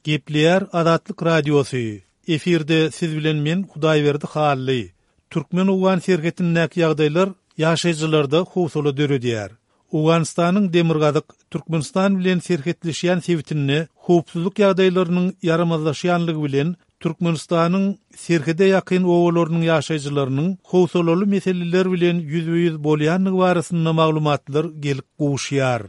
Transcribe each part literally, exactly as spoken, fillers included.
Gepleýär Azatlyk Radiosy. Efirde siz bilen men Hudaýberdi Hally. Türkmen-owgan serhetindäki ýagdaýlar ýaşaýjylarda howsala döredýär. Owganystanyň demirgazyk Türkmenistan bilen serhetleşýän sebitinde howpsuzlyk ýagdaýlarynyň ýaramazlaşýanlygy bilen Türkmenistanyň serhede ýakyn obalarynyň ýaşaýjylarynyň howsalaly meseleler bilen ýüzbe-ýüz bolýanlygy barasynda maglumatlar gelip gowuşýar.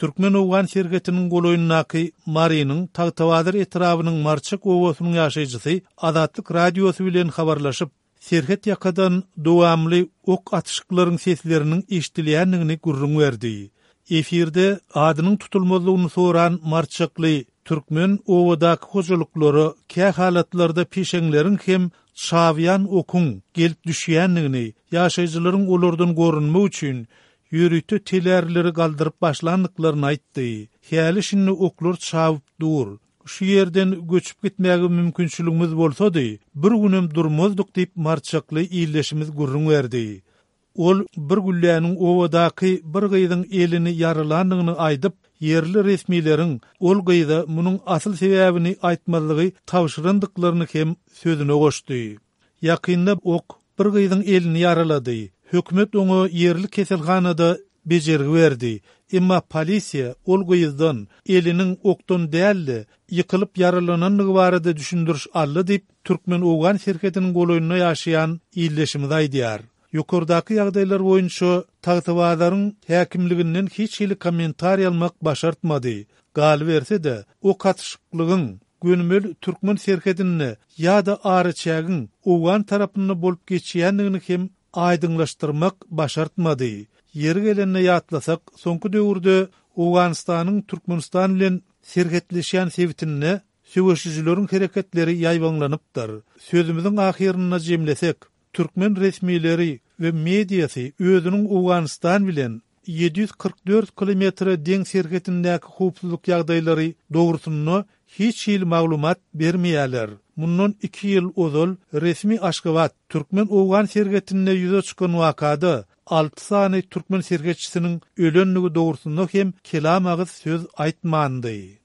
Türkmen-owgan serhetiniň golaýyndaky Marynyň Tagtabazar etrabynyň Marçak obasynyň ýaşaýjysy Azatlyk Radiosy bilen habarlaşyp, serhet ýakadan dowamly ok atyşyklaryň sesleriniň eşidilýändigini gürrüň berdi. Efirde adynyň tutulmazlygyny soran marçakly türkmen obadaky hojalyklara kähalatlarda peşeňleriň hem çawýan okuň gelip düşýändigini, ýaşaýjylaryň olardan gorunmak üçin ýörite telärleri galdyryp başlandyklaryny aýtdy. Häli-şindi oklar çawyp dur. Şu ýerden göçüp gitmäge mümkinçiligimiz bolsady, bir günem durmazdyk diýip marçakly ildeşimiz gürrüň berdi. Ol bir gülläniň obadaky bir gyzyň elini ýaralandygyny aýdyp, ýerli resmileriň ol gyza munuň asyl sebäbini aýtmazlygy tabşyrandyklaryny hem sözüne goşdy. Ýakynda ok bir gyzyň elini ýaralady. Hökümet oňa ýerli keselhanada bejergi berdi. Emma polisiýa ol gyzdan eliniň okdan däl-de, ýykylyp ýaralanandygy barada düşündiriş aldy diýip, türkmen-owgan serhediniň golaýynda ýaşaýan ildeşimiz aýdýar. Ýokardaky ýagdaýlar boýunça Tagtabazaryň häkimliginden hiç hili kommentariý almak başartmady. Galyberse-de, ok atyşyklygyň gönümel türkmen serhedinde ýa-da araçägiň owgan tarapynda bolup geçýändigini hem aýdyňlaşdyrmak başartmady. Ýeri gelende ýatlasak, soňky döwürde Owganystanyň Türkmenistan bilen serhetleşýän sebitinde söweşijileriň hereketleri ýaýbaňlanypdyr. Sözümiziň ahyrynda jemlesek, türkmen resmileri we mediasy özüniň Owganystan bilen ýedi ýüz kyrk dört kilometre deň serhetindäki howpsuzlyk ýagdaýlary dogrusynda hiç hili maglumat bermeýärler. Mundan iki ýyl ozal resmi Aşgabat türkmen-owgan serhetinde ýüze çykan wakada alty sany türkmen serhetçisiniň ölendigi dogrusynda hem kelam agyz söz aýtmandy.